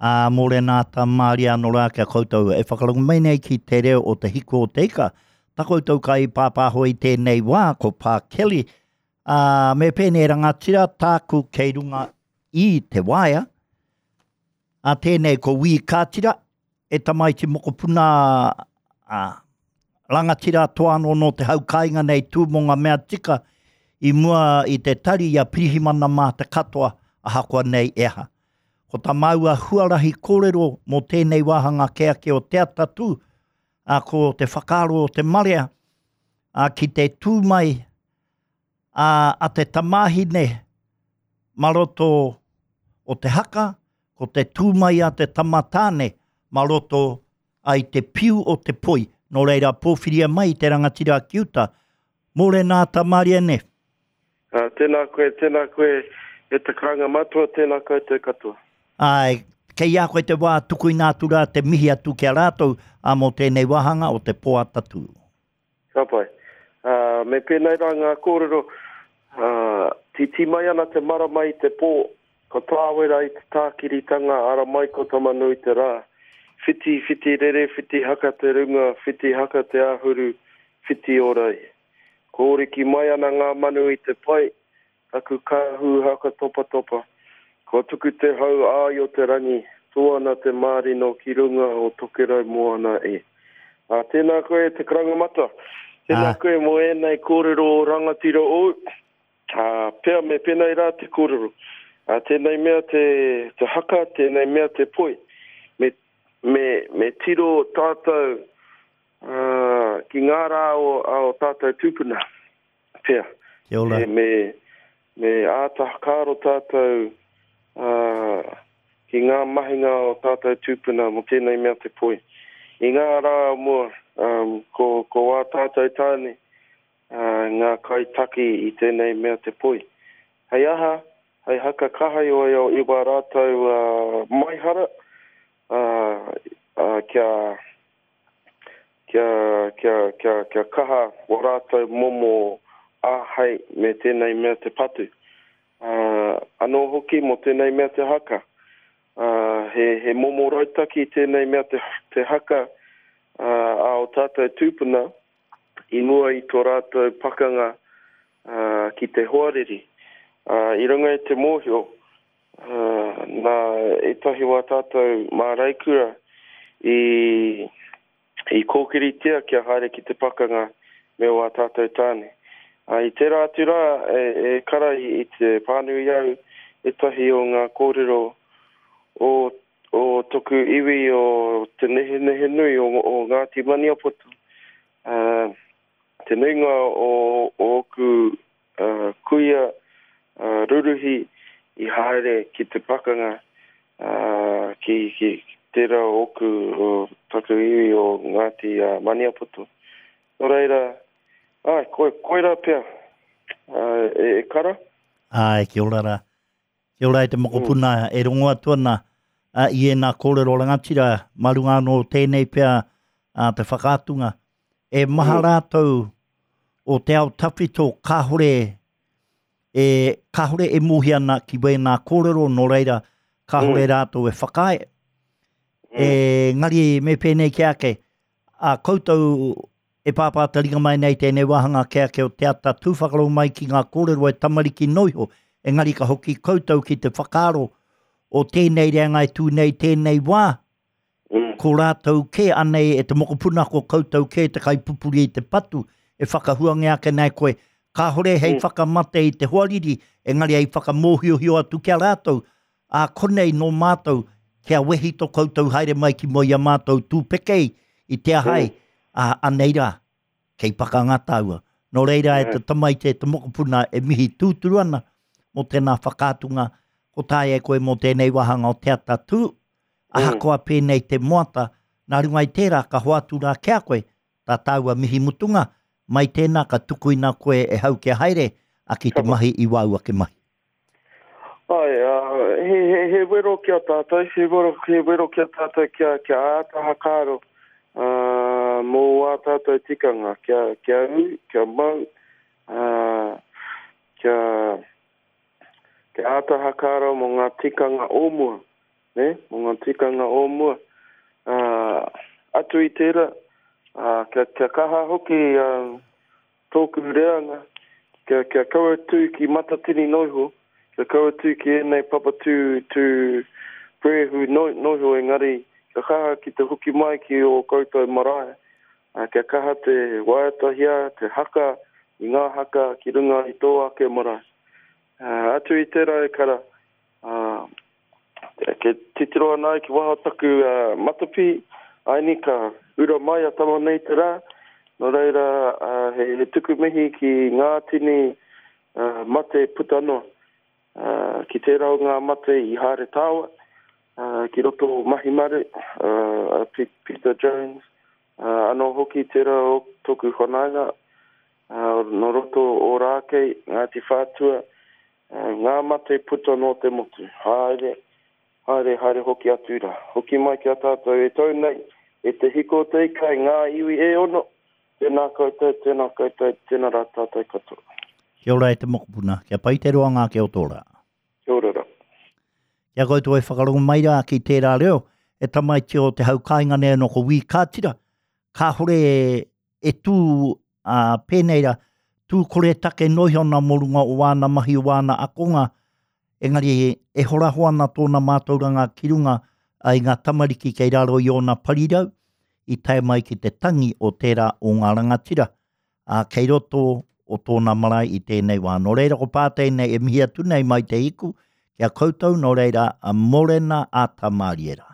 Ā, mōrena ata mārie anō rā ki a koutou e whakarongo mai nei ki te reo o Te Hiku o Te Ika. Ta koutou kai pāpāho i tēnei wā, ko Pā Kelly. Ā, me pēnei rangatira tāku kei runga i te waea. Ā, tēnei ko Wī Kātira, e tamaiti mokopuna a rangatira toa anō nō te hau kāinga nei tū mō ngā mea tika i mua i te tari i a Pirihimana mā te katoa ahakoa nei e aha. Ko tā māua huarahi kōrero mō tēnei wāhanga kē ake o Te Atatū, ā, ko te whakaaro o te marea, ā, ki te tū mai ā, a te tamāhine mā roto o te haka, ko te tū mai a te tama tāne mā roto ai te piu o te poi. Nō reira, pōwhiria mai te rangatira ki uta. Mōrena ata Marianne. Uh, tēnā koe, tēnā koe e te karanga matua, tēnā koutou katoa. Āe, kei a koe te wā tukuina atu rā te mihi atu ki a rātou ā mō tēnei wāhanga o te pō atatū. Ka pai. Ā, me pēnei rā ngā kōrero, ā, tītī mai ana te marama i te pō, ka tāwera i te tākiritanga ara mai ko Tamanui te rā. Whiti, whiti rere, whiti haka te runga, whiti haka te āhuru, whiti ora i. Kōriki mai ana ngā manu i te pae, Taku kāhu haka topatopa. Kua tuku te hau āio te rangi, tō ana te mārino ki runga o Tokerau moana e. Ā, tēnā koe e te karanga matua. Tēnā koe mō ēnei kōrero rangatira ōu. Ā, pea me pēnei rā te kōrero. Ā, tēnei mea te, te haka, tēnei mea te poi. Me, me, me tiro tātou, ā, ki ngā rā o, a o tātou tūpuna. Pea. Kia ora. Me, me, me āta whakaaro tātou uh, ki ngā mahinga o tātou tūpuna mō tēnei mea te poi. I ngā rā o mua, um, ko, ko ā tātou tāne uh, ngā kaitaki i tēnei mea te poi. Hei aha, hei haka kahaioio i wā rātou uh, maihara, uh, uh, kia, kia, kia, kia, kia kaha wā rātou momo āhei me tēnei mea te patu. Ā, anō hoki mō tēnei mea te haka. Ā, he, he momo rautaki tēnei mea te, te haka ā, a ō tātou tūpuna i mua i tō rātou pakanga ā, ki te hoariri. Ā, i runga i te mōhio, ā, nā ētahi wā tātou māreikura i, i kōkiritia kia haere ki te pakanga me wā tātou tāne. Ā, i tērā atu rā, e, e kara i, i te pānui au ētahi o ngā kōrero o, o toku iwi o Te Nehenehenui o, o Ngāti Maniapoto. Ā, te nuinga o, o ōku kuia ruruhi i haere ki te pakanga ki, ki tērā o ōku, o taku iwi o Ngāti Maniapoto. Nō reira, āe, koi, koirā pea, e, e kara. Āe, kia ora rā. Kia ora e te mokopuna mm. e rongo atu ana a, i ēnā kōrero rangatira, mā runga anō tēnei pea a, te whakaatunga. E maha mm. rātou o te ao tawhito kāhore e, kāhore e mōhio ana ki wēnā kōrero, nō reira, kāhore mm. rātou e whakaae. Mm. E, ngari me pēnei ki ake, a koutou e pāpā te ringa mai nei tēnei wāhanga ke ake o te ata tū whakarongo mai ki ngā kōrero e tamariki noiho, engari ka hoki koutou ki te whakaaro o tēnei reanga e tū nei tēnei wā, mm. ko rātou kē anei e te mokopuna ko koutou kē te kaipupuri i te patu e whakahuangia ake nei koe. Kāhore hei mm. whakamate i te hoariri, engari hei whakamōhiohio atu ki a rātou, ā konei nō mātou, kia wehi tō koutou haere mai ki mua i a mātou tūpekei i te aha ai, mm. ā, anei rā, kei pakanga tāua. Nō reira e te tamaiti e te mokopuna e mihi tūturu ana mō tēnā whakaatunga, ko taea e koe mō tēnei wāhanga o te ata tū, ahakoa pēnei te moata, nā runga i tērā ka hoatu rā ki a koe tā tāua mihi mutunga, mai tēnā ka tukuina koe e hau kia haere, a ki te mahi i wāu ake mahi. Āe, ā, he, he, he wero ki a tātou, he wero, he wero ki a tātou kia, kia āta hakaaro, ā, mō ā tātou tikanga, kia, kia ū, kia mau, ā, kia, kia āta hakaaro mō ngā tikanga o mua. Nē, mō ngā tikanga o mua. Ā, atu i tērā, ā, kia, kia kaha hoki ā, tōku reanga, kia, kia kaua tū ki Matatini noa iho, kia kaua tū ki ēnei papa tū, tū puehu noa, noa iho, engari kia kaha ki te hoki mai ki ō koutou marae, ā, kia kaha te waiatahia, te haka i ngā haka ki runga i tō ake marae. Ā, atu i tērā e kara, ā, Ke titiro ana au ki waho taku matapi, aini ka ura mai a tama nei te rā, nō reira he tuku mihi ki ngā tini mate puta noa. Ki tērā o ngā mate i haere tāua, ki roto o Mahimaru, a Peter Jones, anō hoki tērā o tōku whanaunga, nō roto o Ōrākei, Ngāti Whātua, Ngā mate puta noa te motu. Haere, haere, haere hoki atu rā. Hoki mai ki a tātou e tau nei, e te hiko o te ika, e ngā iwi e ono, tēnā koutou, tēnā koutou, tēnā rā tātou katoa. Kia ora e te mokopuna, kia pai te roanga ake o tō rā. Kia ora rā. Kia koutou e whakarongo mai rā ki tērā reo, e tamaiti o te hau kāinga nei anō ko Wī Kātira, kāhore e tū ā, pēnei rā, tū koretake noa iho ana mō runga o āna mahi, o āna akonga, engari e horaho ana tōna mātauranga ki runga i ngā tamariki kei raro i ōna parirau, i tae mai ki te tangi o tērā o ngā rangatira, ā, kei roto o tōna marae i tēnei wā. Nō reira ko pā tēnei e mihi atu nei mai te hiku ki a koutou, nō reira, mōrena ā Tamariera.